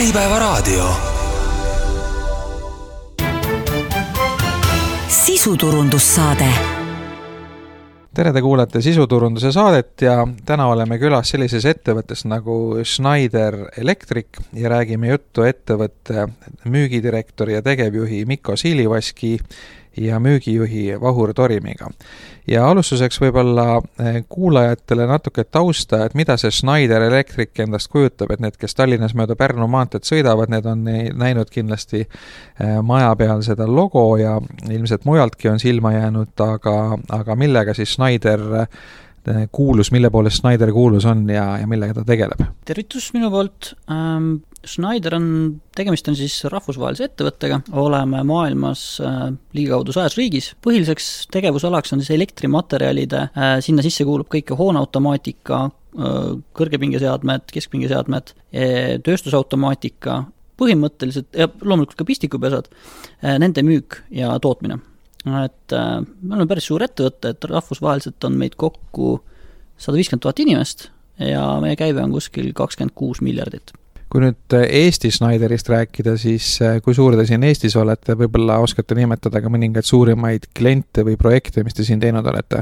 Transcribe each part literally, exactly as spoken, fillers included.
Äripäevaraadio. Sisuturundussaade. Tere, te kuulate sisuturunduse saadet ja täna oleme külas sellises ettevõttes nagu Schneider Electric ja räägime juttu ettevõtte müügidirektori ja tegevjuhi Mikko Siilivaski ja müügijuhi Vahur Torimiga. Ja alustuseks võib-olla kuulajatele natuke tausta, et mida see Schneider Electric endast kujutab, et need, kes Tallinnas mööda Pärnu maanteed sõidavad, need on näinud kindlasti maja peal seda logo ja ilmselt mujaltki on silma jäänud, aga, aga millega siis Schneider kuulus, mille poolest Schneider kuulus on ja, ja millega ta tegeleb? Tervitus minu poolt. Ähm, Schneider on, tegemist on siis rahvusvahelise ettevõttega, oleme maailmas äh, ligikaudu sajas riigis. Põhiliseks tegevusalaks on siis elektrimaterjalide, äh, sinna sisse kuulub kõike hooneautomaatika, äh, kõrgepingeseadmed, keskpingeseadmed, äh, tööstusautomaatika, põhimõtteliselt, ja loomulikult ka pistikupesad, äh, nende müük ja tootmine. Et äh, me oleme päris suur ettevõtte, et rahvusvaheliselt on meid kokku sada viiskümmend tuhat inimest ja meie käive on kuskil kakskümmend kuus miljardit. Kui nüüd Eesti Schneiderist rääkida, siis kui suur te siin Eestis olete, võib-olla oskate nimetada ka mõningaid suurimaid kliente või projekte, mis te siin teinud olete?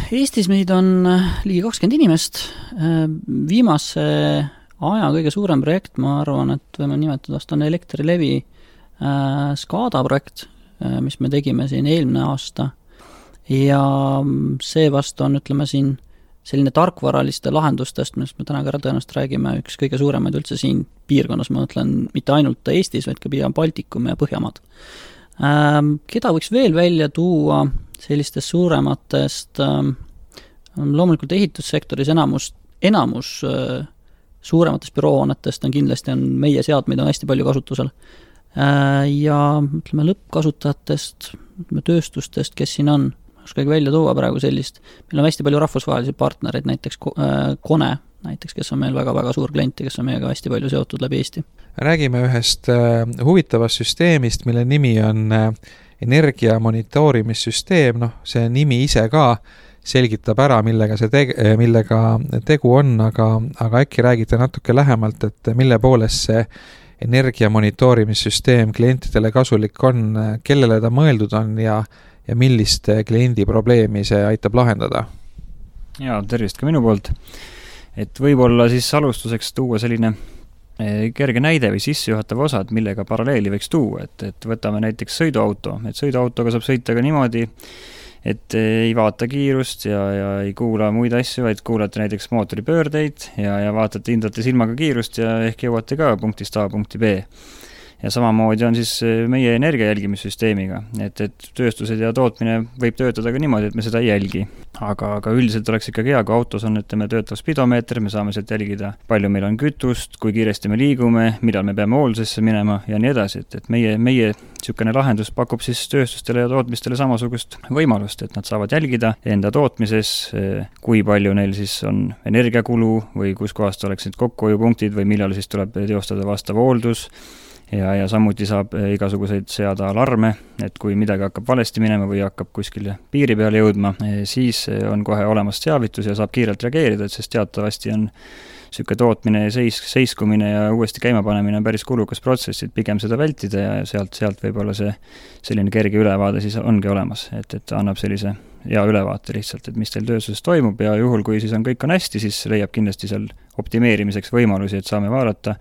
Eestis meid on ligi kakskümmend inimest. Viimase aja kõige suurem projekt, ma arvan, et võime nimetada, vast on Elektrilevi Skada projekt, mis me tegime siin eelmine aasta ja see vast on, ütleme siin, selline tarkvaraliste lahendustest, millest me täna ka tõenäoliselt räägime, üks kõige suuremaid üldse siin piirkonnas, ma mõtlen mitte ainult Eestis, vaid ka pigem Baltikum ja Põhjamaad. Keda võiks veel välja tuua sellistest suurematest, loomulikult ehitussektoris enamus, enamus suurematest büroohoonetest on kindlasti on meie seadmeid on hästi palju kasutusel. Ja ütleme lõppkasutajatest, ütleme tööstustest, kes siin on, oskagi välja tuua praegu sellist. Meil on hästi palju rahvusvahelisi partnereid, näiteks Kone, näiteks, kes on meil väga-väga suur klient ja kes on meiega hästi palju seotud läbi Eesti. Räägime ühest huvitavast süsteemist, mille nimi on energia monitoorimissüsteem. No, see nimi ise ka selgitab ära, millega, see teg- millega tegu on, aga, aga äkki räägite natuke lähemalt, et mille poolest see energia monitoorimissüsteem klientidele kasulik on, kellele ta mõeldud on ja, ja millist kliendi probleemi see aitab lahendada? Jaa, tervist ka minu poolt. Et võib-olla siis alustuseks tuua selline kerge näide või sissejuhatav osa, et millega paralleeli võiks tuua. Et, et võtame näiteks sõiduauto. Et sõiduautoga saab sõita ka niimoodi, et ei vaata kiirust ja, ja ei kuula muid asju, vaid kuulate näiteks mootori pöördeid ja, ja vaatate, hindate silmaga kiirust ja ehk jõuate ka punktist A punkti B. Ja samamoodi on siis meie energia jälgimissüsteemiga, et, et tööstused ja tootmine võib töötada ka niimoodi, et me seda ei jälgi. Aga, aga üldiselt oleks ikkagi hea, kui autos on, et me töötav spidomeeter, me saame sealt jälgida, palju meil on kütust, kui kiiresti me liigume, millal me peame hooldusesse minema ja nii edasi. Et, et meie, meie sükene lahendus pakub siis tööstustele ja tootmistele samasugust võimalust, et nad saavad jälgida enda tootmises, kui palju neil siis on energiakulu või kus kohast oleks need kokkuhoiupunktid või millal siis tuleb teostada vastav hooldus. Ja, ja samuti saab igasuguseid seada alarme, et kui midagi hakkab valesti minema või hakkab kuskile piiri peale jõudma, siis on kohe olemas teavitus ja saab kiirelt reageerida, et sest teatavasti on süke tootmine ja seis, seiskumine ja uuesti käimapanemine on päris kulukas protsess, et pigem seda vältida ja sealt, sealt võib-olla see selline kerge ülevaade siis ongi olemas, et, et annab sellise hea ülevaate lihtsalt, et mis teil tööstuses toimub ja juhul, kui siis on kõik on hästi, siis leiab kindlasti seal optimeerimiseks võimalusi, et saame vaadata,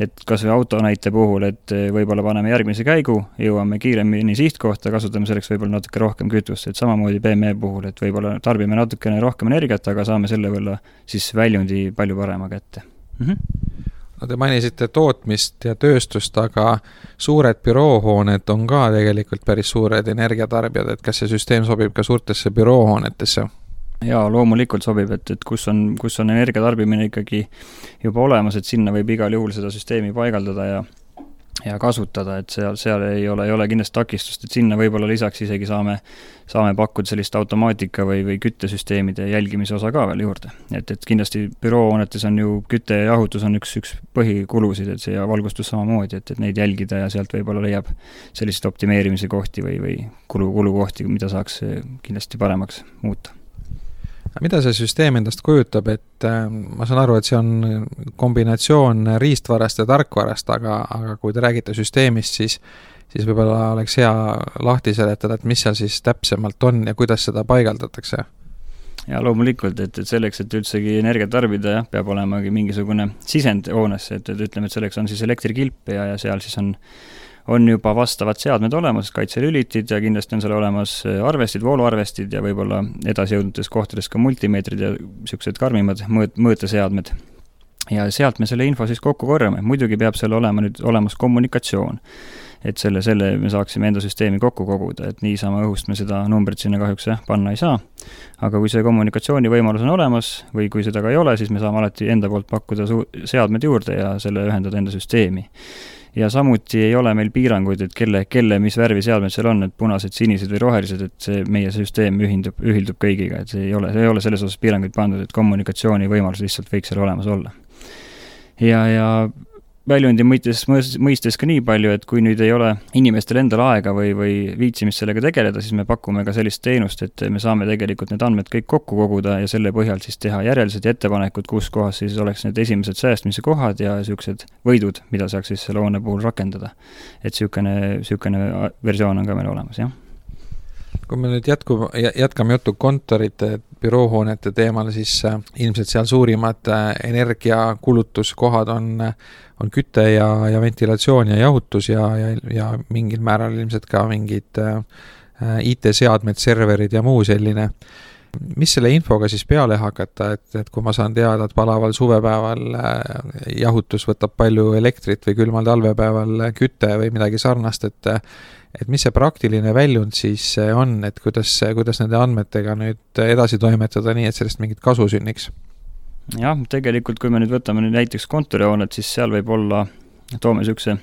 et kas või auto näite puhul, et võib-olla paneme järgmise käigu, jõuame kiiremini sihtkohta, kasutame selleks võib-olla natuke rohkem kütust, et samamoodi B M E puhul, et võib-olla tarbime natukene rohkem energiat, aga saame selle võlla siis väljundi palju parema kätte. Mm-hmm. No te mainisite tootmist ja tööstust, aga suured büroohooned on ka tegelikult päris suured energiatarbijad, et kas see süsteem sobib ka suurtesse büroohoonetesse? Jaa, loomulikult sobib, et, et kus on, kus on energiatarbimine ikkagi juba olemas, et sinna võib igal juhul seda süsteemi paigaldada ja, ja kasutada, et seal, seal ei ole, ei ole kindlasti takistust, et sinna võib-olla lisaks isegi saame, saame pakkuda sellist automaatika või, või küttesüsteemide jälgimise osa ka veel juurde. Et, et kindlasti büroohoonetes on ju kütte ja jahutus on üks, üks põhikulusid, et see ja valgustus samamoodi, et, et neid jälgida ja sealt võib-olla leiab sellised optimeerimise kohti või, või kulu, kulukohti, mida saaks kindlasti paremaks muuta. Mida see süsteem endast kujutab, et ma saan aru, et see on kombinatsioon riistvarast ja tarkvarast, aga, aga kui te räägite süsteemist, siis, siis võib-olla oleks hea lahti seletada, et mis seal siis täpsemalt on ja kuidas seda paigaldatakse? Ja loomulikult, et, et selleks, et üldsegi energiat tarbida, jah, peab olemagi mingisugune sisend hoonesse, et, et ütleme, et selleks on siis elektrikilp ja, ja seal siis on on juba vastavad seadmed olemas, kaitselülitid ja kindlasti on seal olemas arvestid, vooluarvestid ja võib-olla edasi jõudnutes kohtades ka multimeetrid ja niisugused karmimad mõõt, mõõteseadmed. Ja sealt me selle info siis kokku korjame. Muidugi peab seal olema nüüd olemas kommunikatsioon, et selle, selle me saaksime enda süsteemi kokku koguda, et niisama õhust me seda numbrit sinna kahjuks jah, panna ei saa. Aga kui see kommunikatsiooni võimalus on olemas või kui seda ka ei ole, siis me saame alati enda poolt pakkuda su- seadmed juurde ja selle ühendada enda süsteemi. Ja samuti ei ole meil piiranguid, et kelle, kelle mis värvi seadmed seal on, et punased, sinised või rohelised, et see meie süsteem ühindub, ühildub kõigiga, et see ei ole, see ei ole selles osas piiranguid pandud, et kommunikatsiooni võimalus lihtsalt võiks seal olemas olla. Ja, ja väljundi mõistes, mõistes ka nii palju, et kui nüüd ei ole inimestel endal aega või, või viitsimist sellega tegeleda, siis me pakume ka sellist teenust, et me saame tegelikult need andmed kõik kokku koguda ja selle põhjal siis teha järeldused ja ettepanekud, kus kohas siis oleks need esimesed säästmise kohad ja niisugused võidud, mida saaks siis selle hoone puhul rakendada. Et niisugune, niisugune versioon on ka meil olemas, jah. Kui me nüüd jätku, jätkame juttu kontorite, büroohoonete teemal, siis ilmselt seal suurimad energiakulutuskohad on, on küte ja, ja ventilatsioon ja jahutus ja, ja, ja mingil määral ilmselt ka mingid I T-seadmed, serverid ja muu selline. Mis selle infoga siis peale hakata, et, et kui ma saan teada, et palaval suvepäeval jahutus võtab palju elektrit või külmal talvepäeval küte või midagi sarnast, et et mis see praktiline väljund siis on, et kuidas, kuidas nende andmetega nüüd edasi toimetada nii, et sellest mingit kasu sünniks? Jah, tegelikult kui me nüüd võtame nüüd näiteks kontorihoonet, siis seal võib olla, toome niisuguse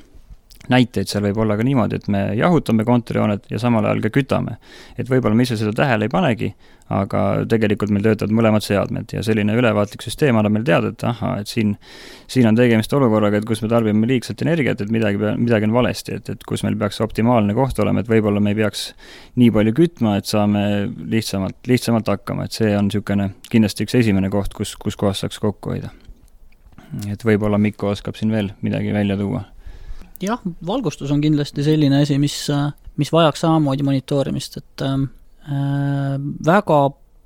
näiteid, seal võib olla ka niimoodi, et me jahutame kontorihoonet ja samal ajal ka kütame. Et võib-olla me ise seda tähele ei panegi, aga tegelikult meil töötavad mõlemad seadmed ja selline ülevaatlik süsteem annab meil teada, et aha, et siin, siin on tegemist olukorraga, et kus me tarbime liigselt energiat, et midagi, midagi on valesti, et, et kus meil peaks optimaalne koht olema, et võib-olla me ei peaks nii palju kütma, et saame lihtsamalt, lihtsamalt hakkama, et see on niisugune kindlasti üks esimene koht, kus, kus kohas saaks kokku hoida. Et võib-olla Mikko oskab siin veel midagi välja tuua. Jah, valgustus on kindlasti selline asi, mis, mis vajaks samamoodi monitoorimist, et äh, väga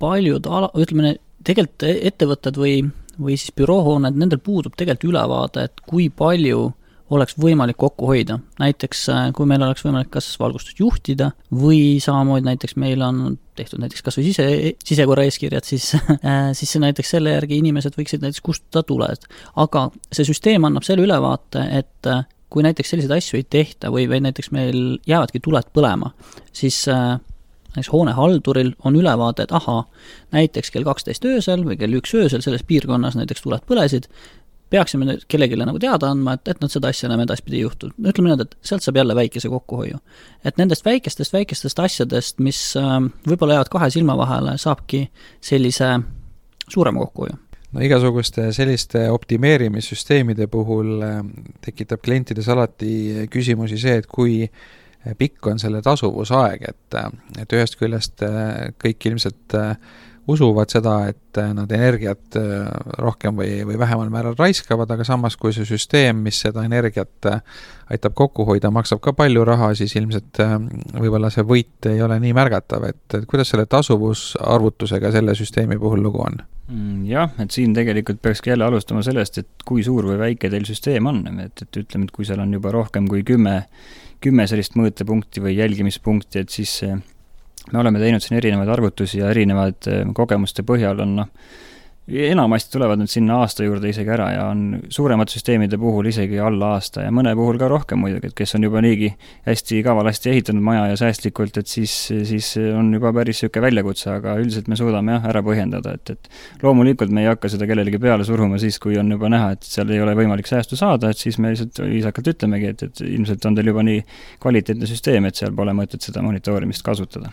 paljud, ala, ütleme, tegelikult ettevõtted või, või siis büroohooned, nendel puudub tegelikult ülevaade, et kui palju oleks võimalik kokku hoida. Näiteks, kui meil oleks võimalik kas valgustust juhtida või samamoodi näiteks meil on tehtud näiteks kas või sise, sisekorra eeskirjad, siis, siis näiteks selle järgi inimesed võiksid näiteks kustutada tuled. Aga see süsteem annab selle ülevaate, et kui näiteks selliseid asju ei tehta või, või näiteks meil jäävadki tuled põlema, siis äh, näiteks hoonehalduril on ülevaade, et aha, näiteks kell kaksteist öösel või kell üks öösel selles piirkonnas näiteks tuled põlesid, peaksime kellegile nagu teada andma, et, et nad seda asja enam edaspidi juhtu. Ütleme need, et sealt saab jälle väikese kokkuhoiu. Et nendest väikestest, väikestest asjadest, mis äh, võib-olla jäävad kahe silma vahele, saabki sellise suurema kokkuhoiu. No igasuguste selliste optimeerimissüsteemide puhul tekitab klientides alati küsimusi see, et kui pikk on selle tasuvusaeg, et, et ühest küljest kõik ilmselt usuvad seda, et nad energiat rohkem või, või vähemal määral raiskavad, aga samas kui see süsteem, mis seda energiat aitab kokku hoida, maksab ka palju raha, siis ilmselt võib-olla see võit ei ole nii märgatav, et, et kuidas selle tasuvusarvutusega selle süsteemi puhul lugu on? Jah, et siin tegelikult peakski jälle alustama sellest, et kui suur või väike teil süsteem on, et, et ütleme, et kui seal on juba rohkem kui kümme, kümme sellist mõõtepunkti või jälgimispunkti, et siis me oleme teinud siin erinevaid arvutusi ja erinevaid kogemuste põhjal on, noh, enamasti tulevad nüüd sinna aasta juurde isegi ära ja on suuremad süsteemide puhul isegi alla aasta ja mõne puhul ka rohkem muidugi, et kes on juba niigi hästi kavalasti ehitanud maja ja säästlikult, et siis, siis on juba päris siuke väljakutse, aga üldiselt me suudame jah, ära põhjendada, et, et loomulikult me ei hakka seda kellelegi peale suruma siis, kui on juba näha, et seal ei ole võimalik säästu saada, et siis me lihtsalt viisakalt ütlemegi, et, et ilmselt on teil juba nii kvaliteetne süsteem, et seal pole mõtet seda monitoorimist kasutada.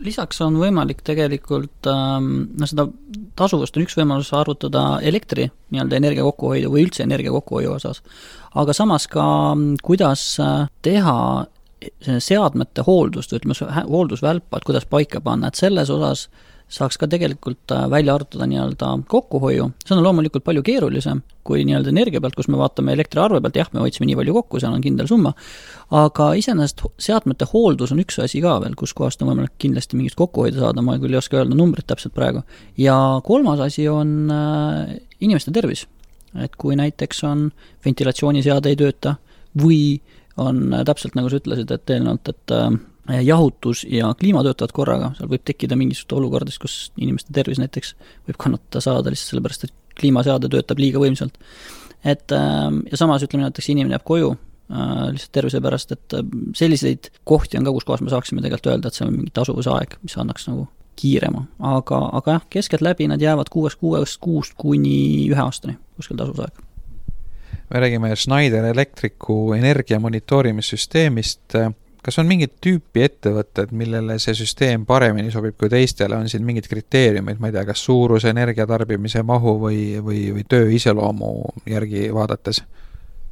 Lisaks on võimalik tegelikult, no seda tasuvust on üks võimalus arvutada elektri nii-öelda energia kokkuhoidu või üldse energia kokkuhoiu osas, aga samas ka kuidas teha seadmete hooldust, ütleme hooldusvälpa, et kuidas paika panna, et selles osas saaks ka tegelikult välja arvutada nii-öelda kokkuhoiu. See on loomulikult palju keerulisem kui nii-öelda energia pealt, kus me vaatame elektriarve pealt, jah, me hoidsime nii palju kokku, seal on kindel summa, aga iseenesest seadmete hooldus on üks asi ka veel, kus kohast on võimalik kindlasti mingit kokkuhoida saada, ma küll ei oska öelda numbrit täpselt praegu. Ja kolmas asi on inimeste tervis, et kui näiteks on ventilatsiooniseade ei tööta või on täpselt nagu sa ütlesid, et eelnevalt, et jahutus ja kliima töötavad korraga, seal võib tekkida mingisugust olukordist, kus inimeste tervis näiteks võib kannatada saada lihtsalt sellepärast, et kliimaseade töötab liiga võimsalt. Et, ja samas ütleme näiteks inimene jääb koju lihtsalt tervise pärast, et selliseid kohti on ka, kus kohas me saaksime tegelikult öelda, et see on mingi tasuvusaeg, mis annaks nagu kiirema. Aga, aga jah, keskelt läbi nad jäävad kuuest kuuest kuust kuni ühe aastani kuskil tasuvusaeg. Me räägime Schneider Electricu energia monitoorimissüsteemist. Kas on mingid tüüpi ettevõtted, millele see süsteem paremini sobib kui teistele? On siin mingid kriteeriumid, ma ei tea, kas suurus, energiatarbimise mahu või, või, või töö iseloomu järgi vaadates?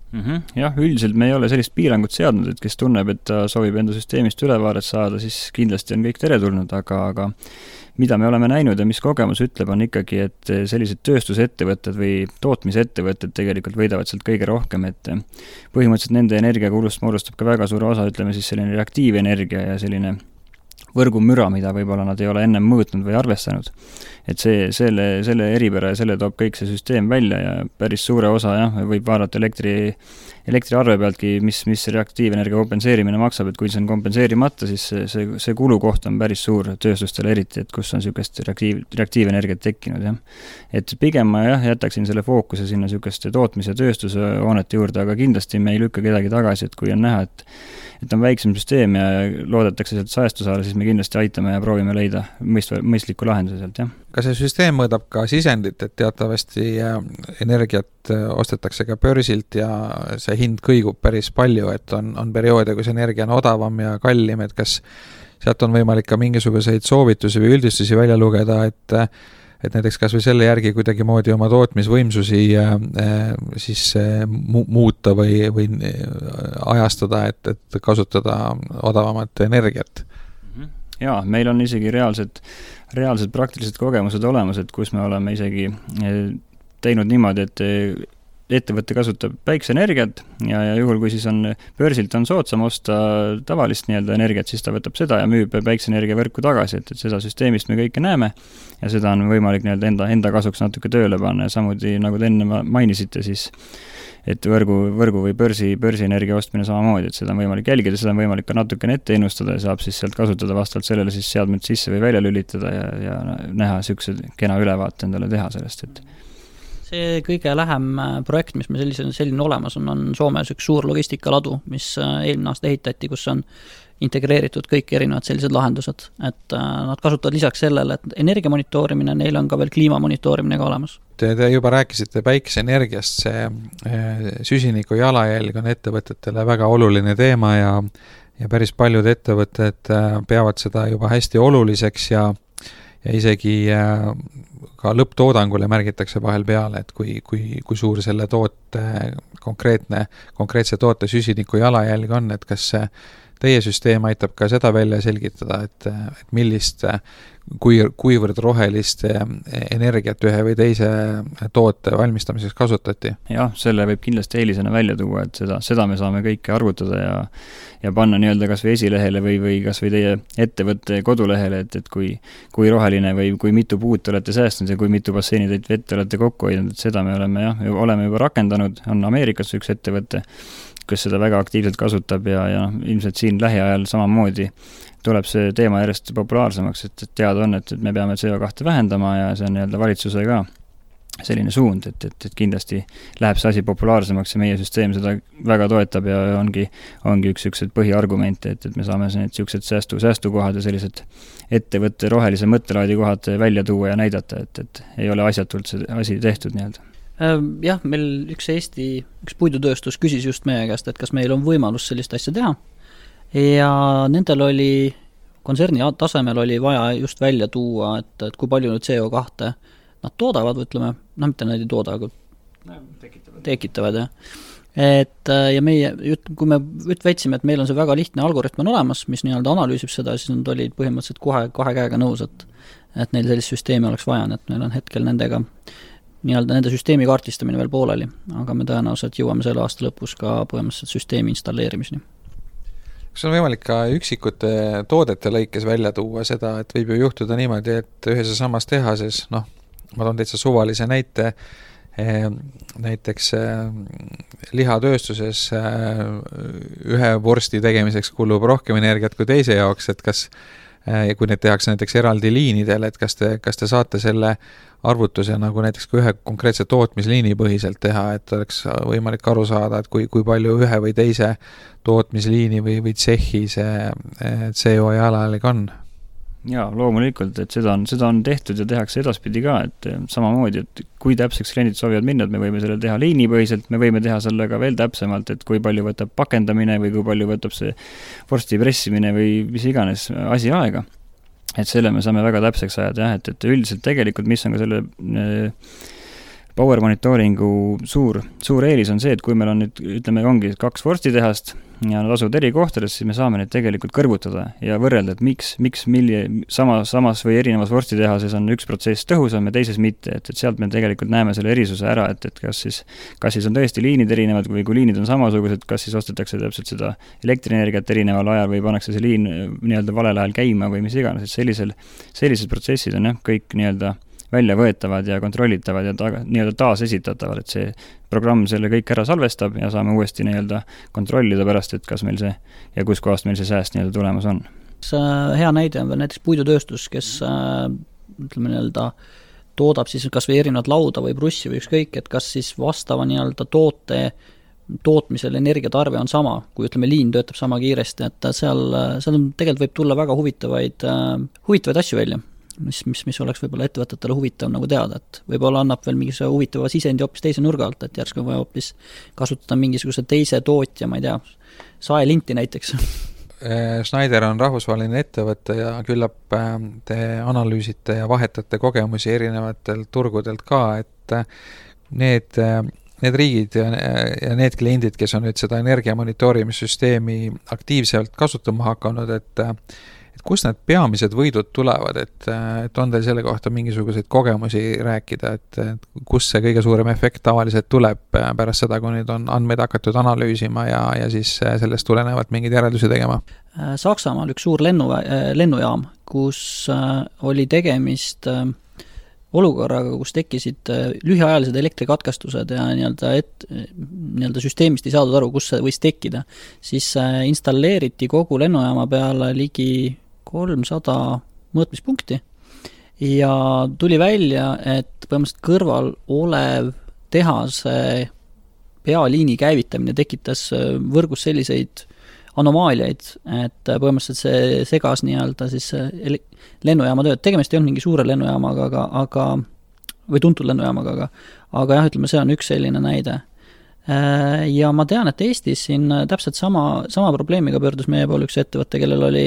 Mm-hmm. Jah, üldiselt me ei ole sellist piirangut seadnud, et kes tunneb, et ta soovib enda süsteemist ülevaaret saada, siis kindlasti on kõik teretulnud, aga, aga mida me oleme näinud ja mis kogemus ütleb, on ikkagi, et sellised tööstusettevõtted või tootmisettevõtted tegelikult võidavad sealt kõige rohkem, et põhimõtteliselt nende energiakulust moodustab ka väga suur osa, ütleme siis selline reaktiivenergia ja selline võrgumüra, mida võib-olla nad ei ole ennem mõõtnud või arvestanud. Et see, selle, selle eripära ja selle toob kõik see süsteem välja ja päris suure osa jah, võib vaadata elektri, elektriarve pealtki, mis, mis reaktiivenergia kompenseerimine maksab, et kui see on kompenseerimata, siis see, see, see kulukoht on päris suur tööstustele eriti, et kus on niisugust reaktiiv, reaktiivenergiat tekkinud. Jah. Et pigem ma jah, jätaksin selle fookuse sinna niisuguste tootmise ja tööstuse hoonete juurde, aga kindlasti me ei lükka kedagi tagasi, et kui on näha, et et on väiksem süsteem ja loodetakse sealt saestu saada, siis me kindlasti aitame ja proovime leida mõist, mõistliku lahenduse sealt, jah. Kas see süsteem mõõdab ka sisendit, et teatavasti energiat ostetakse ka börsilt ja see hind kõigub päris palju, et on, on perioode, kus energia on odavam ja kallim, et kas sealt on võimalik ka mingisuguseid soovitusi või üldistusi välja lugeda, et et näiteks kas või selle järgi kuidagi moodi oma tootmisvõimsusi siis mu- muuta või, või ajastada, et, et kasutada odavamat energiat. Jaa, meil on isegi reaalsed, reaalsed praktilised kogemused olemas, et kus me oleme isegi teinud niimoodi, et ettevõte kasutab päikseenergiat ja, ja juhul, kui siis on börsilt on soodsam osta tavalist nii-öelda energiat, siis ta võtab seda ja müüb päikseenergia võrku tagasi, et, et seda süsteemist me kõike näeme ja seda on võimalik nii-öelda enda, enda kasuks natuke tööle panna ja samuti, nagu te enne mainisite, siis et võrgu, võrgu või börsi, börsienergia ostmine samamoodi, et seda on võimalik jälgida, seda on võimalik ka natukene ette ennustada ja saab siis sealt kasutada vastavalt sellele siis seadmed sisse või välja lülitada ja, ja näha niisuguse kena ülevaate endale teha sellest, et see kõige lähem projekt, mis me selline, selline olemas on, on Soomes üks suur logistikaladu, mis eelmine aasta ehitati, kus on integreeritud kõik erinevad sellised lahendused, et nad kasutavad lisaks sellele, et energia monitoorimine, neil on ka veel kliima monitoorimine ka olemas. Te, te juba rääkisite päikeseenergiast, see süsiniku jalajälg on ettevõtetele väga oluline teema ja, ja päris paljud ettevõtted peavad seda juba hästi oluliseks ja ja isegi ka lõpptoodangule märgitakse vahel peale, et kui, kui, kui suur selle toote konkreetne, konkreetse toote süsiniku jalajälg on, et kas teie süsteem aitab ka seda välja selgitada, et, et millist, kui, kuivõrd rohelist energiat ühe või teise toote valmistamiseks kasutati? Jah, selle võib kindlasti eelisena välja tuua, et seda, seda me saame kõike arvutada ja, ja panna nii-öelda kas või esilehele või, või kas või teie ettevõtte kodulehele, et, et kui, kui roheline või kui mitu puut olete säästnud ja kui mitu basseinitäit vette olete kokku hoidnud, et seda me oleme, jah, oleme juba rakendanud, on Ameerikas üks ettevõte, kes seda väga aktiivselt kasutab ja, ja ilmselt siin lähiajal samamoodi tuleb see teema järjest populaarsemaks, et, et teada on, et, et me peame C O kahe vähendama ja see on nii-öelda valitsuse ka selline suund, et, et, et kindlasti läheb see asi populaarsemaks ja meie süsteem seda väga toetab ja ongi, ongi üks üks põhiargumente, et, et me saame need siuksed säästu, säästukohad ja sellised ettevõtte rohelise mõttelaadi kohad välja tuua ja näidata, et, et ei ole asjatult see asi tehtud nii-öelda. Jah, meil üks Eesti, üks puidutööstus küsis just meie käest, et kas meil on võimalus sellist asja teha ja nendel oli, kontserni tasemel oli vaja just välja tuua, et, et kui palju nüüd C O kahe nad toodavad, ütleme, no mitte nad ei tooda, aga tekitavad, tekitavad jah. et ja meie, kui me võtsime, et meil on see väga lihtne algoritm on olemas, mis nii-öelda analüüsib seda, siis nad olid põhimõtteliselt kohe kahe käega nõus, et, et neil sellist süsteemi oleks vaja, et meil on hetkel nendega nii-öelda nende süsteemi kaartistamine veel pooleli, aga me tõenäoliselt jõuame selle aasta lõpus ka põhimõtteliselt süsteemi installeerimiseni. Kas on võimalik ka üksikute toodete lõikes välja tuua seda, et võib ju juhtuda niimoodi, et ühes ja samas tehases, noh, ma toon täitsa suvalise näite, näiteks lihatööstuses ühe vorsti tegemiseks kulub rohkem energiat kui teise jaoks, et kas, kui need tehakse näiteks eraldi liinidel, et kas te, kas te saate selle arvutuse nagu näiteks kui ühe konkreetse tootmisliini põhiselt teha, et oleks võimalik aru saada, et kui, kui palju ühe või teise tootmisliini või, või tsehhi see C O jalajälg on? Jaa, loomulikult, et seda on, seda on tehtud ja tehakse edaspidi ka, et samamoodi, et kui täpseks kliendid soovivad minna, et me võime selle teha liinipõhiselt, me võime teha selle ka veel täpsemalt, et kui palju võtab pakendamine või kui palju võtab see vorsti pressimine või mis iganes asi aega. Et selle me saame väga täpseks ajada, jah, et, et üldiselt tegelikult, mis on ka selle power monitoringu suur, suur eelis on see, et kui meil on nüüd, ütleme, ongi kaks vorstitehast ja nad asuvad eri kohtades, siis me saame neid tegelikult kõrvutada ja võrrelda, et miks, miks milli, sama, samas või erinevas vorstitehases on üks protsess tõhusam ja teises mitte, et, et sealt me tegelikult näeme selle erisuse ära, et, et kas siis, kas siis on tõesti liinid erinevad või kui liinid on samasugused, kas siis ostetakse täpselt seda elektrienergiat erineval ajal või pannakse see liin nii-öelda valel ajal käima või mis iganes, et sellisel, sellised protsessid on jah, kõik nii-öelda välja võetavad ja kontrollitavad ja ta, nii-öelda taas esitatavad, et see programm selle kõik ära salvestab ja saame uuesti nii-öelda kontrollida pärast, et kas meil see ja kus kohast meil see sääst nii-öelda tulemas on. Hea näide on veel näiteks puidutööstus, kes ütleme nii-öelda toodab siis kas või erinevad lauda või brussi või ükskõik, et kas siis vastava nii-öelda toote tootmisel energiatarve on sama, kui ütleme liin töötab sama kiiresti, et seal, seal tegelikult võib tulla väga huvitavaid, huvitavaid asju välja. Mis, mis, mis oleks võib-olla ettevõtetele huvitav nagu teada, et võib-olla annab veel mingi huvitava sisendi hoopis teise nurga alt, et järsku vaja hoopis kasutada mingisuguse teise tootja, ma ei tea, saelinti näiteks. Schneider on rahvusvaheline ettevõte ja küllap te analüüsite ja vahetate kogemusi erinevatelt turgudelt ka, et need, need riigid ja, ja need kliendid, kes on nüüd seda energiamonitoorimissüsteemi aktiivselt kasutama hakanud, et et kust need peamised võidud tulevad, et, et on teil selle kohta mingisuguseid kogemusi rääkida, et, et kus see kõige suurem efekt tavaliselt tuleb pärast seda, kui nüüd on andmeid hakatud analüüsima ja, ja siis sellest tulenevalt mingeid järeldusi tegema? Saksamaal üks suur lennu, lennujaam, kus oli tegemist olukorraga, kus tekkisid lühiajalised elektrikatkestused ja nii-öelda, et, nii-öelda süsteemist ei saadud aru, kus see võis tekkida, siis installeeriti kogu lennujaama peale ligi kolmsada mõõtmispunkti ja tuli välja, et põhimõtteliselt kõrval olev tehase pealiini käivitamine tekitas võrgus selliseid anomaaliaid, et põhimõtteliselt see segas nii-öelda siis lennujaama tööd. Tegemist ei olnud mingi suure lennujaamaga, aga, aga, või tuntud lennujaamaga, aga, aga jah, ütleme, see on üks selline näide. Ja ma tean, et Eestis siin täpselt sama, sama probleemiga pöördus meie poole üks ettevõtte, kellel oli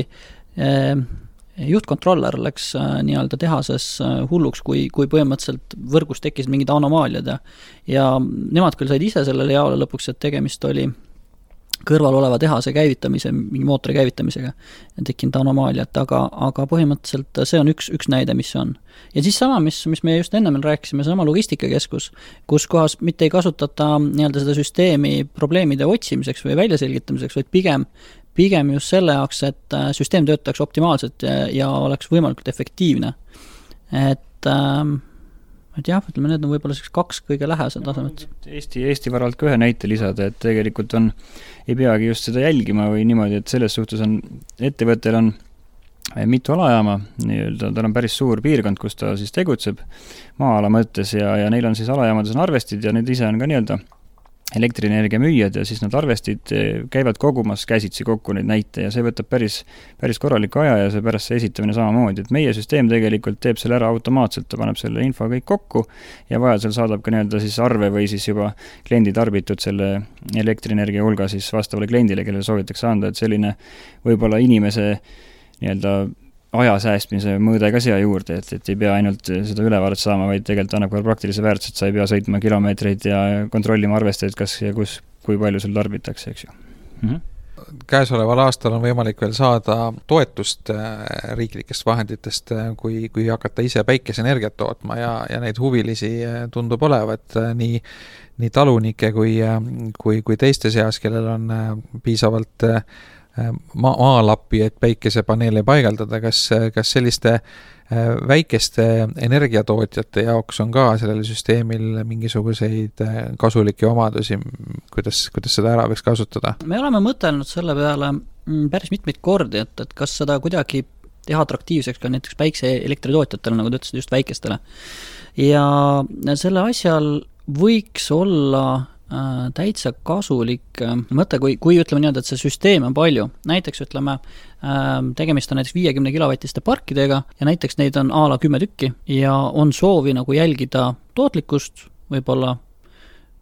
juhtkontroller läks nii-öelda tehases hulluks, kui, kui põhimõtteliselt võrgus tekkis mingid anomaaliad ja, ja nemad küll said ise sellele jaole lõpuks, et tegemist oli kõrval oleva tehase käivitamise, mingi mootori käivitamisega tekkinud anomaaliat, aga, aga põhimõtteliselt see on üks, üks näide, mis on. Ja siis sama, mis, mis me just enne meil rääkisime, sama logistikakeskus, kus kohas mitte ei kasutata nii-öelda seda süsteemi probleemide otsimiseks või väljaselgitamiseks, vaid pigem, pigem just selle jaoks, et süsteem töötaks optimaalselt ja, ja oleks võimalikult efektiivne. Et ähm, et jah, ütleme, need on võib-olla kaks kõige lähesed tasemed. Eesti, Eesti varalt ka ühe näite lisada, et tegelikult on, ei peagi just seda jälgima või niimoodi, et selles suhtes on, ettevõttel on mitu alajaama, nii-öelda, tal on päris suur piirkond, kus ta siis tegutseb maa-ala mõttes ja, ja neil on siis alajaamades on arvestid ja need ise on ka nii-öelda elektrienergia müüjad ja siis nad arvestid käivad kogumas käsitsi kokku neid näite ja see võtab päris, päris korraliku aja ja see pärast see esitamine samamoodi, et meie süsteem tegelikult teeb selle ära automaatselt, ta paneb selle info kõik kokku ja vajadusel saadab ka nii-öelda siis arve või siis juba kliendi tarbitud selle elektrienergia hulga siis vastavale kliendile, kellele soovitakse anda, et selline võib-olla inimese nii-öelda aja säästmise mõõde ka siia juurde, et, et ei pea ainult seda ülevaadet saama, vaid tegelikult annab ka praktilise väärtus, et sa ei pea sõitma kilomeetreid ja kontrollima arvestajaid, kas ja kus kui palju seal tarbitakse, eks ju. Mm-hmm. Käesoleval aastal on võimalik veel saada toetust riiklikest vahenditest, kui, kui hakata ise päikeseenergiat tootma ja, ja neid huvilisi tundub olevat nii, nii talunike kui, kui, kui teiste seas, kellel on piisavalt ma- maalappi, et päikesepaneele paigaldada. Kas, kas selliste väikeste energiatootjate jaoks on ka sellel süsteemil mingisuguseid kasulikke omadusi, kuidas, kuidas seda ära võiks kasutada? Me oleme mõtelnud selle peale päris mitmeid kordi, et, et kas seda kuidagi teha atraktiivseks ka näiteks päikseelektritootjatele, nagu te ütlesid, just väikestele. Ja selle asjal võiks olla äh, täitsa kasulik äh, mõte, kui, kui ütleme nii, et see süsteem on palju. Näiteks ütleme, tegemist on näiteks viiekümne kilovatiste parkidega ja näiteks neid on a la kümme tükki ja on soovi nagu jälgida tootlikkust, võib-olla,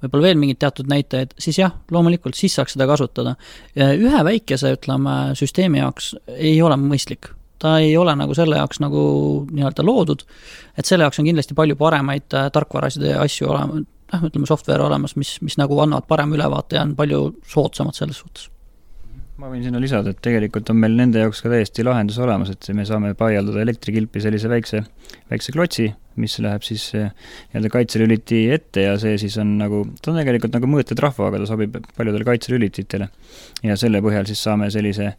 võib-olla veel mingid teatud näitajaid, siis jah, loomulikult siis saaks seda kasutada. Ühe väikese, ütleme, süsteemi jaoks ei ole mõistlik. Ta ei ole nagu selle jaoks nagu nii-öelda loodud, et selle jaoks on kindlasti palju paremaid tarkvarasid ja asju olema, noh, ütleme software olemas, mis, mis nagu annavad parem ülevaate ja on palju soodsamad selles suhtes. Ma võin sinna lisada, et tegelikult on meil nende jaoks ka täiesti lahendus olemas, et me saame paigaldada elektrikilpi sellise väikse, väikse klotsi, mis läheb siis nii-öelda kaitselüliti ette ja see siis on nagu, ta on tegelikult nagu mõõtetrahva, aga ta sobib paljudele kaitselülititele. Ja selle põhjal siis saame sellise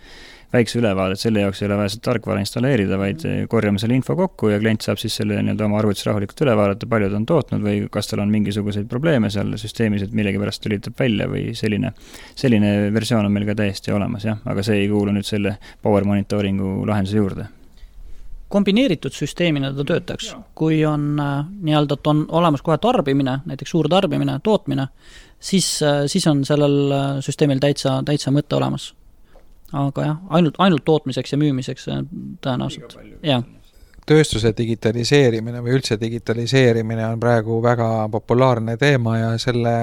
väikse ülevaade, et selle jaoks ei ole vaja seda tarkvara installeerida, vaid korjame selle info kokku ja klient saab siis selle nii-öelda oma arvutis rahulikult üle vaadata, palju ta on tootnud või kas tal on mingisuguseid probleeme seal süsteemis, et millegi pärast lülitab välja või selline, selline versioon on meil ka täiesti olemas, jah, aga see ei kuulu nüüd selle power monitoringu lahenduse juurde. Kombineeritud süsteemina ta töötaks, kui on nii-öelda, et on olemas kohe tarbimine, näiteks suur tarbimine, tootmine, siis, siis on sellel süsteemil täitsa, täitsa mõte olemas. Aga jah, ainult, ainult tootmiseks ja müümiseks tõenäoliselt. Jah. Tööstuse digitaliseerimine või üldse digitaliseerimine on praegu väga populaarne teema ja selle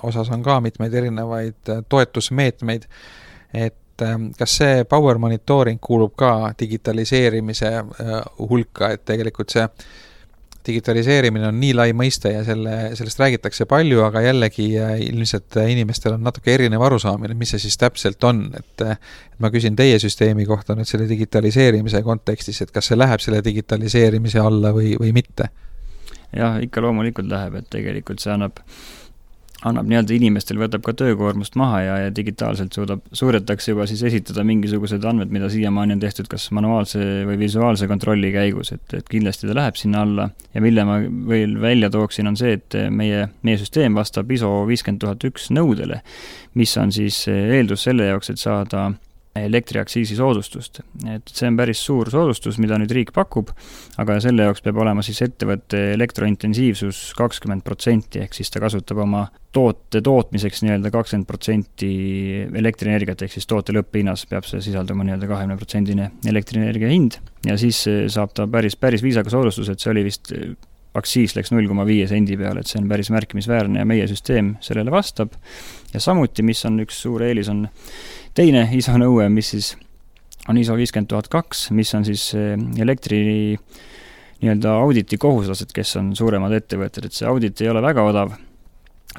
osas on ka mitmeid erinevaid toetusmeetmeid, et kas see power monitoring kuulub ka digitaliseerimise hulka, et tegelikult see digitaliseerimine on nii lai mõiste ja selle, sellest räägitakse palju, aga jällegi ilmselt inimestel on natuke erinev arusaamine, mis see siis täpselt on, et, et ma küsin teie süsteemi kohta nüüd selle digitaliseerimise kontekstis, et kas see läheb selle digitaliseerimise alla või, või mitte? Jah, ikka loomulikult läheb, et tegelikult see annab annab nii-öelda inimestel, võtab ka töökoormust maha ja, ja digitaalselt suudab, suudetakse juba siis esitada mingisugused andmed, mida siiamaani on tehtud kas manuaalse või visuaalse kontrolli käigus, et, et kindlasti ta läheb sinna alla ja mille ma veel välja tooksin on see, et meie, meie süsteem vastab I S O viiskümmend tuhat üks nõudele, mis on siis eeldus selle jaoks, et saada elektriaksiisi soodustust. Et see on päris suur soodustus, mida nüüd riik pakub, aga selle jaoks peab olema siis ettevõtte elektrointensiivsus kakskümmend protsenti, ehk siis ta kasutab oma toote tootmiseks nii-öelda kakskümmend protsenti elektrienergiat, ehk siis toote lõpphinnas peab see sisalduma nii-öelda kakskümmend protsenti elektrienergia hind ja siis saab ta päris, päris viisaka soodustus, et see oli vist aksiis läks null koma viis sendi peale, et see on päris märkimisväärne ja meie süsteem sellele vastab. Ja samuti, mis on üks suur eelis, on teine I S O nõue, mis siis on I S O viiskümmend tuhat kaks, mis on siis elektri nii-öelda auditi kohustused, kes on suuremad ettevõtted, et see audit ei ole väga odav,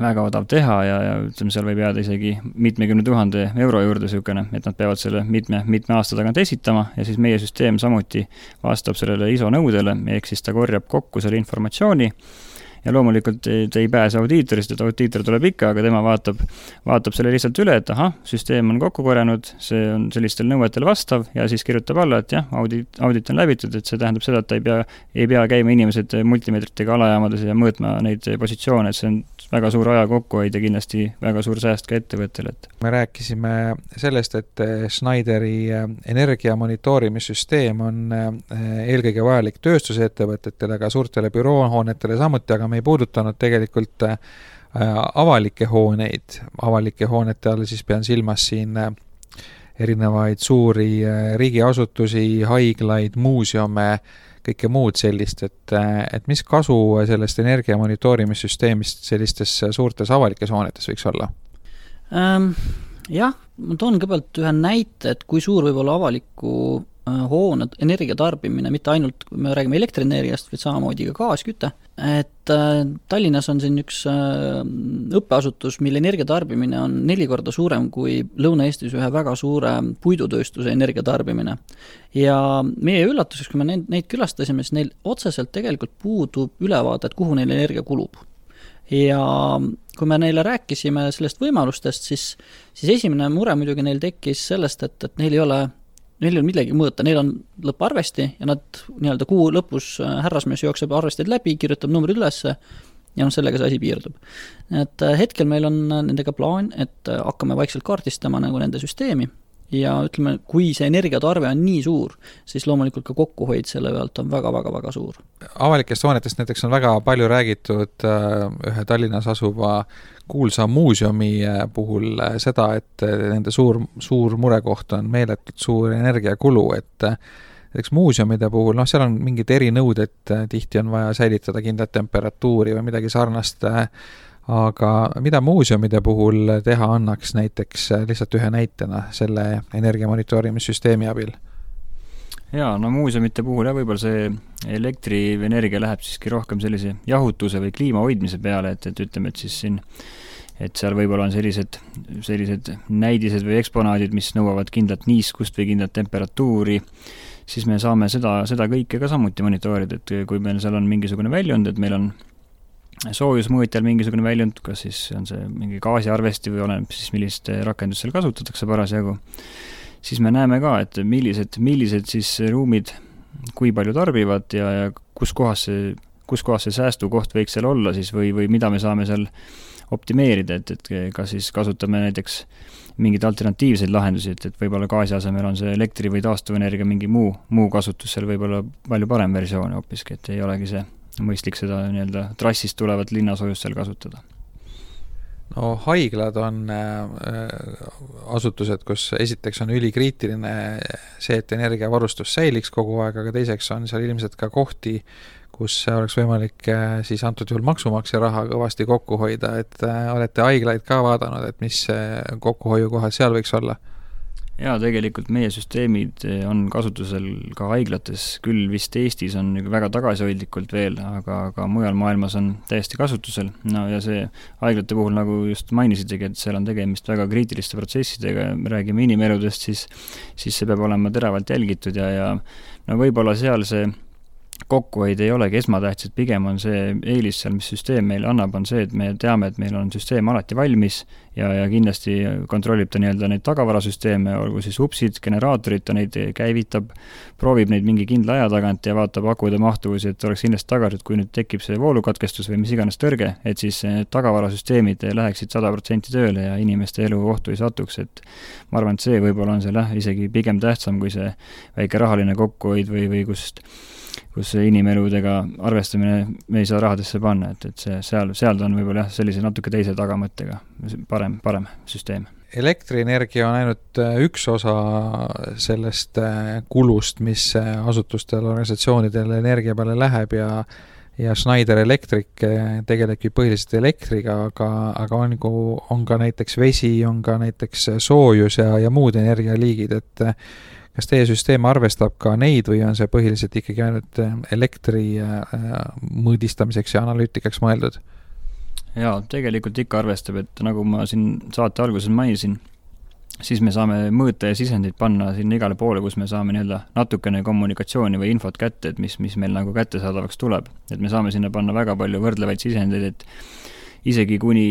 väga odav teha ja, ja ütleme, seal võib jääda isegi mitmekümne tuhande euro juurde sükene, et nad peavad selle mitme, mitme aasta tagant esitama ja siis meie süsteem samuti vastab sellele I S O nõudele, ehk siis ta korjab kokku selle informatsiooni ja loomulikult te ei pääse audiitorist, et audiitor tuleb ikka, aga tema vaatab, vaatab selle lihtsalt üle, et aha, süsteem on kokku korjanud, see on sellistel nõuetel vastav ja siis kirjutab alla, et jah, audit, audit on läbitud, et see tähendab seda, et ta ei pea, ei pea käima inimesed multimeetritega alajaamades ja mõõtma neid positsioone, et see on väga suur aja kokkuhoid ja kindlasti väga suur sääst ka ettevõttel. Me rääkisime sellest, et Schneideri energia monitoorimissüsteem on eelkõige vajalik tööstusettevõtetele, aga suurtele büroohoonetele samuti, aga me ei puudutanud tegelikult avalikke hooneid. Avalike hoonete all siis pean silmas siin erinevaid suuri riigiasutusi, haiglaid, muuseume, kõike muud sellist, et, et mis kasu sellest energia monitoorimissüsteemist sellistes suurtes avalikes hoonetes võiks olla? Ähm, jah, ma toon kõigepealt ühe näite, et kui suur võib olla avaliku hoone energiatarbimine, mitte ainult, kui me räägime elektrienergiast, vaid samamoodi ka gaasküte, et Tallinnas on siin üks õppeasutus, mille energiatarbimine on neli korda suurem kui Lõuna-Eestis ühe väga suure puidutööstuse energiatarbimine. Ja meie üllatuseks, kui me neid, neid külastasime, siis neil otseselt tegelikult puudub ülevaade, et kuhu neil energia kulub. Ja kui me neile rääkisime sellest võimalustest, siis, siis esimene mure muidugi neil tekkis sellest, et, et neil ei ole neil on midagi mõõta, neil on lõpparvesti ja nad nii-öelda kuu lõpus härrasmees jookseb arvesteid läbi, kirjutab numbrid ülesse ja noh, sellega see asi piirdub. Et hetkel meil on nendega plaan, et hakkame vaikselt kaardistama nagu nende süsteemi ja ütleme, kui see energiatarve on nii suur, siis loomulikult ka kokkuhoid selle pealt on väga-väga-väga suur. Avalikest hoonetest näiteks on väga palju räägitud ühe Tallinnas asuva kuulsa muuseumi puhul seda, et nende suur, suur murekoht on meeletult suur energiakulu, et näiteks muuseumide puhul, noh, seal on mingid erinõuded, tihti on vaja säilitada kindlat temperatuuri või midagi sarnast, aga mida muuseumide puhul teha annaks näiteks lihtsalt ühe näitena selle energiamonitorimissüsteemi abil? Jaa, no muuseumite puhul ja võib-olla see elektrienergia läheb siiski rohkem sellise jahutuse või kliima hoidmise peale, et, et ütleme, et siis siin et seal võib-olla on sellised, sellised näidised või eksponaadid, mis nõuavad kindlat niiskust või kindlat temperatuuri, siis me saame seda, seda kõike ka samuti monitoorida, et kui meil seal on mingisugune väljund, et meil on soojusmõõtjal mingisugune väljund, kas siis on see mingi gaasiarvesti või oleneb siis, millist rakendust seal kasutatakse parasjagu, siis me näeme ka, et millised, millised siis ruumid kui palju tarbivad ja, ja kus kohas see, kus kohas see säästukoht võiks seal olla siis või, või mida me saame seal optimeerida, et, et kas siis kasutame näiteks mingeid alternatiivseid lahendusi, et, et võib-olla gaasi asemel on see elektri või taastuvenergia mingi muu, muu kasutus seal võib-olla palju parem versioon hoopiski, et ei olegi see mõistlik seda nii-öelda trassist tulevat linnasoojust seal kasutada. No haiglad on asutused, kus esiteks on ülikriitiline see, et energiavarustus säiliks kogu aeg, aga teiseks on seal ilmselt ka kohti, kus oleks võimalik siis antud juhul maksumaksja raha kõvasti kokku hoida, et olete haiglaid ka vaadanud, et mis kokkuhoiukohad seal võiks olla? Jaa, tegelikult meie süsteemid on kasutusel ka haiglates, küll vist Eestis on väga tagasihoidlikult veel, aga, aga mujal maailmas on täiesti kasutusel. No ja see haiglate puhul, nagu just mainisitegi, et seal on tegemist väga kriitiliste protsessidega, räägime inimeludest, siis, siis see peab olema teravalt jälgitud ja, ja no võib-olla seal see kokkuhoid ei olegi esmatähtsed, pigem on see eelis seal, mis süsteem meil annab, on see, et me teame, et meil on süsteem alati valmis ja, ja kindlasti kontrollib ta nii-öelda neid tagavarasüsteeme, olgu siis upsid, generaatorid, ta neid käivitab, proovib neid mingi kindla aja tagant ja vaatab akude mahtuvusi, et oleks kindlasti tagatud, kui nüüd tekib see voolukatkestus või mis iganes tõrge, et siis tagavarasüsteemid läheksid sada protsenti tööle ja inimeste elu ohtu ei satuks, et ma arvan, et see võib-olla on seal isegi pigem tähtsam kui see väike rahaline kokkuhoid või, või kust kus inimeludega arvestamine me ei saa rahadesse panna, et, et see, seal, seal on võib-olla jah, sellise natuke teise tagamõttega parem, parem süsteem. Elektrienergia on ainult üks osa sellest kulust, mis asutustel, organisatsioonidel energia peale läheb ja ja Schneider Electric tegelebki põhiliselt elektriga, aga, aga on, on ka näiteks vesi, on ka näiteks soojus ja, ja muud energialiigid, et kas teie süsteem arvestab ka neid või on see põhiliselt ikkagi ainult elektri mõõdistamiseks ja analüütikaks mõeldud? Jaa, tegelikult ikka arvestab, et nagu ma siin saate alguses mainisin, siis me saame mõõta ja sisendid panna sinna igale poole, kus me saame nii-öelda natukene kommunikatsiooni või infot kätte, et mis, mis meil nagu kättesaadavaks tuleb. Et me saame sinna panna väga palju võrdlevaid sisendeid, et isegi kuni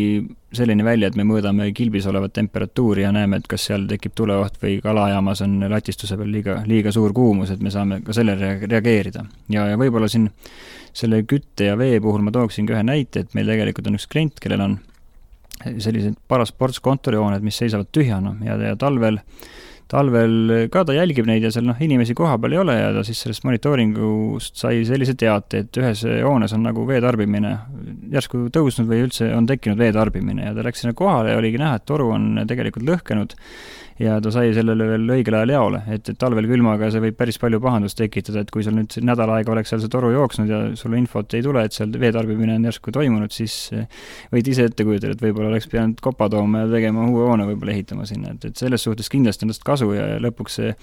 selline välja, et me mõõdame kilbis olevat temperatuuri ja näeme, et kas seal tekib tuleoht või kalajaamas on latistuse peal liiga, liiga suur kuumus, et me saame ka sellele reageerida. Ja, ja võib-olla siin selle kütte ja vee puhul ma tooksin ka ühe näite, et meil tegelikult on üks klient, kellel on sellised paras ports kontorihooned, mis seisavad tühjana ja, ja talvel talvel ka ta jälgib neid ja seal noh, inimesi koha peal ei ole ja ta siis sellest monitooringust sai sellise teate, et ühes hoones on nagu veetarbimine järsku tõusnud või üldse on tekkinud veetarbimine ja ta läks sinna kohale ja oligi näha, et toru on tegelikult lõhkenud ja ta sai sellele veel õigel ajal jaole, et, et talvel külmaga see võib päris palju pahandust tekitada, et kui sul nüüd nädal aega oleks seal see toru jooksnud ja sulle infot ei tule, et seal veetarbimine on järsku toimunud, siis võid ise ette kujutada, et võib-olla oleks pidanud kopa tooma ja tegema uue hoone võib-olla ehitama sinna, et, et selles suhtes kindlasti on tast kasu ja lõpuks see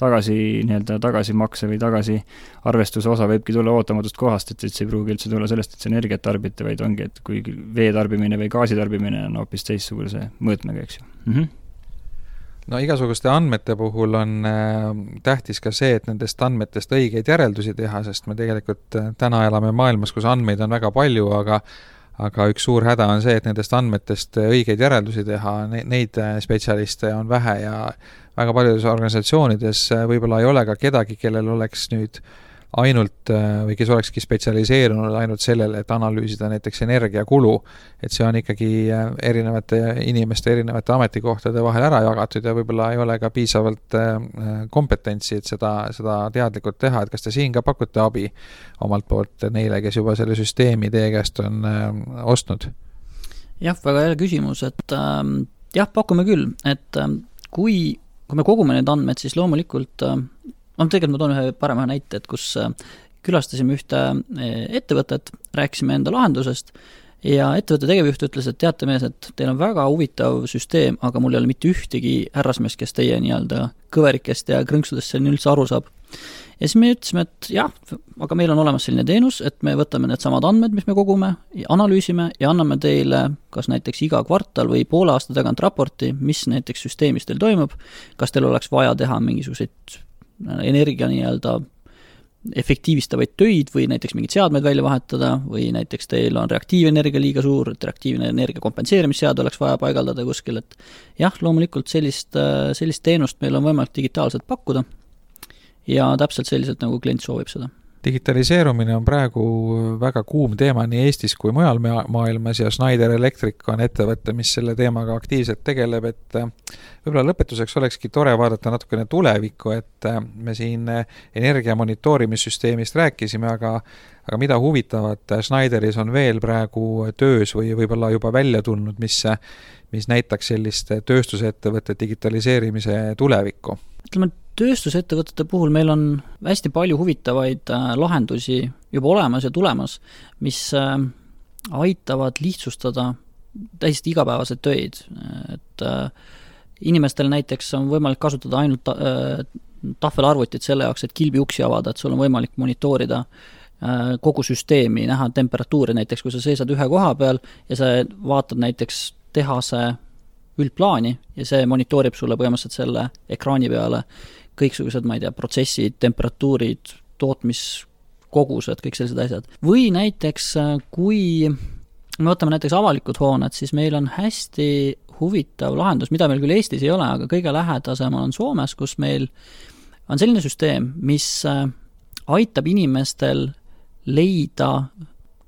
tagasi, nii-öelda tagasimakse või tagasi arvestuse osa võibki tulla ootamatust kohast, et see ei pruugi üldse tulla sellest, et see energiat tarbite, vaid ongi, et kui vee tarbimine või gaasi tarbimine on hoopis teistsuguse mõõtmega, eks ju. Mm-hmm. No igasuguste andmete puhul on äh, tähtis ka see, et nendest andmetest õigeid järeldusi teha, sest me tegelikult äh, täna elame maailmas, kus andmeid on väga palju, aga aga üks suur häda on see, et nendest andmetest õigeid järeldusi teha, neid spetsialiste on vähe ja väga paljudes organisatsioonides võib-olla ei ole ka kedagi, kellel oleks nüüd ainult või kes olekski spetsialiseerunud ainult sellele, et analüüsida näiteks energiakulu, et see on ikkagi erinevate inimeste, erinevate ametikohtade vahel ära jagatud ja võib-olla ei ole ka piisavalt kompetentsi, et seda, seda teadlikult teha, et kas te siin ka pakute abi omalt poolt neile, kes juba selle süsteemi teie käest on ostnud? Jah, väga hea küsimus, et äh, jah, pakume küll, et äh, kui, kui me kogume need andmed, siis loomulikult äh, no tegelikult ma toon ühe parema näite, et kus külastasime ühte ettevõtet, rääkisime enda lahendusest ja ettevõtte tegevjuht ütles, et teate mees, et teil on väga huvitav süsteem, aga mul ei ole mitte ühtegi härrasmees, kes teie nii-öelda kõverikest ja krõnksudest selline üldse aru saab. Ja siis me ütlesime, et jah, aga meil on olemas selline teenus, et me võtame need samad andmed, mis me kogume, analüüsime ja anname teile kas näiteks iga kvartal või poole aasta tagant raporti, mis näiteks süsteemis teil toimub, kas teil oleks vaja teha mingisuguseid energia nii-öelda efektiivistavaid töid või näiteks mingid seadmed välja vahetada või näiteks teil on reaktiivenergia liiga suur, et reaktiivne energia kompenseerimisseade oleks vaja paigaldada kuskil, et jah, loomulikult sellist, sellist teenust meil on võimalik digitaalselt pakkuda ja täpselt selliselt, nagu klient soovib seda. Digitaliseerumine on praegu väga kuum teema nii Eestis kui mujal maailmas ja Schneider Electric on ettevõte, mis selle teemaga aktiivselt tegeleb, et võib-olla lõpetuseks olekski tore vaadata natukene tulevikku, et me siin energia monitoorimissüsteemist rääkisime, aga, aga mida huvitavat Schneideris on veel praegu töös või võib-olla juba välja tulnud, mis, mis näitaks sellist tööstusettevõtte digitaliseerimise tulevikku? Ütleme, tööstusettevõtete puhul meil on hästi palju huvitavaid lahendusi juba olemas ja tulemas, mis aitavad lihtsustada täiesti igapäevased töid. Et inimestel näiteks on võimalik kasutada ainult tahvelarvutit selle jaoks, et kilbi uksi avada, et sul on võimalik monitoorida kogu süsteemi, näha temperatuuri näiteks, kui sa seisad ühe koha peal ja sa vaatad näiteks tehase üldplaani ja see monitoorib sulle põhimõtteliselt selle ekraani peale kõiksugused, ma ei tea, protsessid, temperatuurid, tootmiskogused, kõik sellised asjad. Või näiteks, kui me võtame näiteks avalikud hooned, siis meil on hästi huvitav lahendus, mida meil küll Eestis ei ole, aga kõige lähedasem on Soomes, kus meil on selline süsteem, mis aitab inimestel leida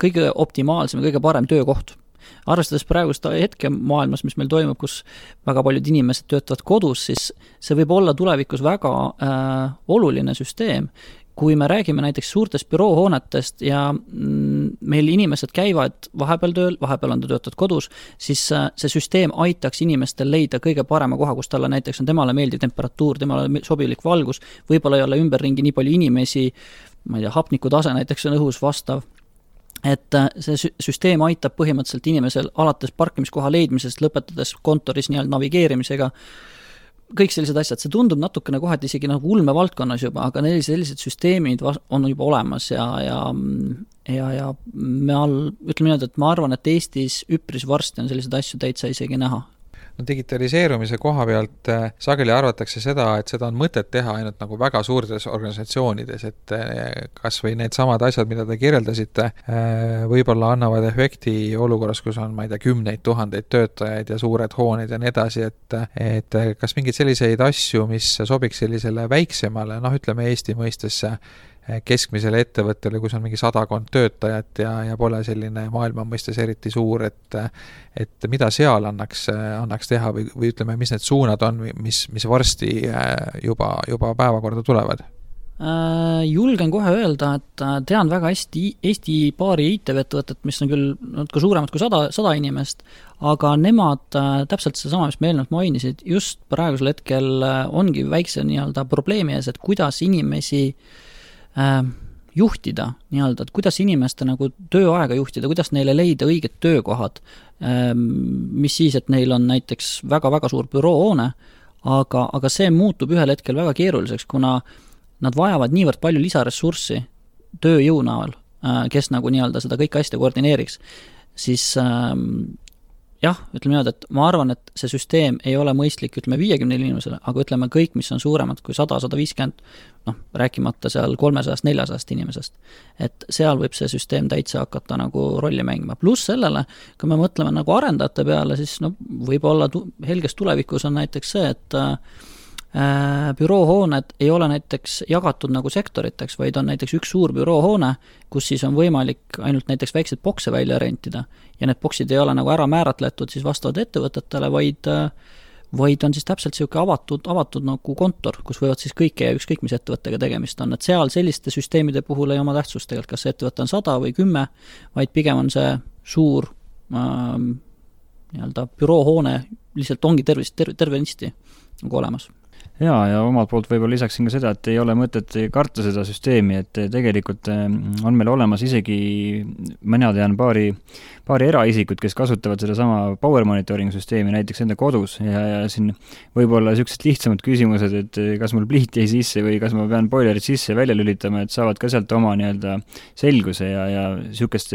kõige optimaalsem ja kõige parem töökoht. Arvestades praegust hetke maailmas, mis meil toimub, kus väga paljud inimesed töötavad kodus, siis see võib olla tulevikus väga äh, oluline süsteem. Kui me räägime näiteks suurtest büroohoonetest ja mm, meil inimesed käivad vahepeal tööl, vahepeal on ta töötavad kodus, siis äh, see süsteem aitaks inimestel leida kõige parema koha, kus talle näiteks on temale meeldiv temperatuur, temale sobilik valgus, võib-olla ei ole ümberringi nii palju inimesi, ma ei tea, hapnikutase näiteks on õhus vastav, et see süsteem aitab põhimõtteliselt inimesel alates parkimiskoha leidmisest, lõpetades kontoris nii-öelda navigeerimisega, kõik sellised asjad, see tundub natukene kohati isegi nagu ulme valdkonnas juba, aga neil sellised süsteemid on juba olemas ja, ja, ja, ja me all, ütleme nii, et ma arvan, et Eestis üpris varsti on sellised asju täitsa isegi näha. No digitaliseerumise koha pealt äh, sageli arvatakse seda, et seda on mõtet teha ainult nagu väga suurtes organisatsioonides, et äh, kas või need samad asjad, mida te kirjeldasite, äh, võib-olla annavad efekti olukorras, kus on, ma ei tea, kümneid tuhandeid töötajaid ja suured hooned ja nii edasi, et, et kas mingeid selliseid asju, mis sobiks sellisele väiksemale, noh, ütleme Eesti mõistesse keskmisele ettevõttele, kus on mingi sadakond töötajat ja, ja pole selline maailma mõistes eriti suur, et, et mida seal annaks, annaks teha või, või ütleme, mis need suunad on, mis, mis varsti juba, juba päevakorda tulevad? Julgen kohe öelda, et tean väga hästi Eesti paari I T-ettevõtet, mis on küll natuke suuremad kui sada, sada inimest, aga nemad täpselt seesama, mis me eelnevalt mainisid, just praegusel hetkel ongi väikse nii-öelda probleemi ees, et kuidas inimesi juhtida nii-öelda, et kuidas inimeste nagu tööaega juhtida, kuidas neile leida õiged töökohad, mis siis, et neil on näiteks väga-väga suur büroohoone, aga, aga see muutub ühel hetkel väga keeruliseks, kuna nad vajavad niivõrd palju lisaressurssi tööjõu näol, kes nagu nii-öelda seda kõike hästi koordineeriks, siis ähm, jah, ütleme niimoodi, et ma arvan, et see süsteem ei ole mõistlik, ütleme viiekümne inimesele, aga ütleme kõik, mis on suuremad kui sada, sada viiskümmend, noh, rääkimata seal kolmesajast, neljasajast inimesest. Et seal võib see süsteem täitsa hakata nagu rolli mängima. Pluss sellele, kui me mõtleme nagu arendajate peale, siis no, võib-olla tu- helges tulevikus on näiteks see, et äh, büroohooned ei ole näiteks jagatud nagu sektoriteks, vaid on näiteks üks suur büroohoone, kus siis on võimalik ainult näiteks väiksed bokse välja rentida ja need boksid ei ole nagu ära määratletud siis vastavad ettevõtetele, vaid, vaid on siis täpselt selline avatud, avatud nagu kontor, kus võivad siis kõike ja ükskõik mis ettevõttega tegemist on, et seal selliste süsteemide puhul ei oma tähtsust tegelikult, kas see ettevõte on sada või kümme, vaid pigem on see suur ähm, nii-öelda büroohoone lihtsalt ongi tervist, terve, tervenisti nagu olemas. Jaa, ja omalt poolt võib-olla lisaksin ka seda, et ei ole mõtet karta seda süsteemi, et tegelikult on meil olemas isegi, mina tean paari, paari eraisikut, kes kasutavad seda sama power monitoring süsteemi näiteks enda kodus ja, ja siin võib-olla sellised lihtsamad küsimused, et kas mul pliit jäi sisse või kas ma pean boilerit sisse ja välja lülitama, et saavad ka sealt oma nii-öelda selguse ja, ja sihukest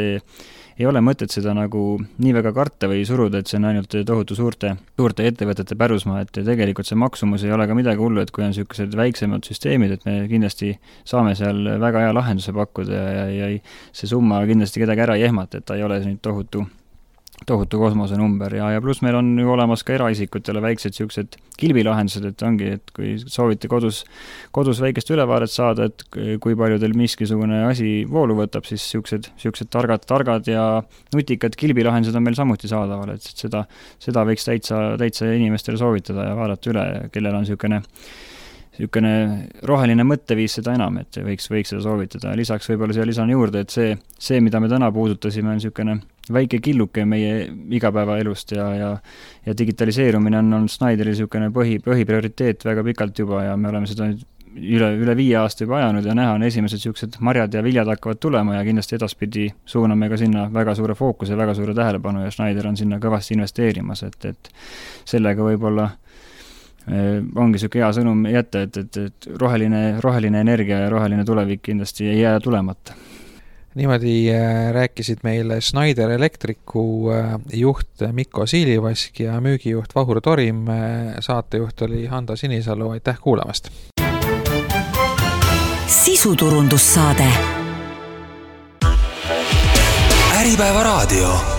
ei ole mõtet seda nagu nii väga karta või suruda, et see on ainult tohutu suurte, suurte ettevõtete pärusmaa, et tegelikult see maksumus ei ole ka midagi hullu, et kui on sellised väiksemad süsteemid, et me kindlasti saame seal väga hea lahenduse pakkuda ja, ja, ja see summa kindlasti kedagi ära ei ehmata, et ta ei ole nüüd tohutu, tohutu kosmose number ja, ja pluss meil on ju olemas ka eraisikutele väiksed sellised kilbilahendused, et ongi, et kui soovite kodus, kodus väikest ülevaaret saada, et kui palju teil miskisugune asi voolu võtab, siis sellised, sellised targad, targad ja nutikad kilbilahendused on meil samuti saadaval, et seda, seda võiks täitsa, täitsa inimestele soovitada ja vaadata üle, kellel on selline niisugune roheline mõtteviis seda enam, et võiks, võiks seda soovitada. Lisaks võib-olla siia lisan juurde, et see, see, mida me täna puudutasime, on niisugune väike killuke meie igapäevaelust ja, ja, ja digitaliseerumine on, on Schneideri niisugune põhi, põhiprioriteet väga pikalt juba ja me oleme seda üle, üle viie aasta juba ajanud ja näha on esimesed niisugused marjad ja viljad hakkavad tulema ja kindlasti edaspidi suuname ka sinna väga suure fookuse, väga suure tähelepanu ja Schneider on sinna kõvasti investeerimas, et, et sellega võib-olla ongi siuke hea sõnum jätta, et, et, et roheline, roheline energia ja roheline tulevik kindlasti ei jää tulemata. Niimoodi rääkisid meile Schneider Electricu juht Mikko Siilivask ja müügijuht Vahur Torim. Saatejuht oli Hando Sinisalu, aitäh kuulamast! Sisuturundussaade Äripäeva raadio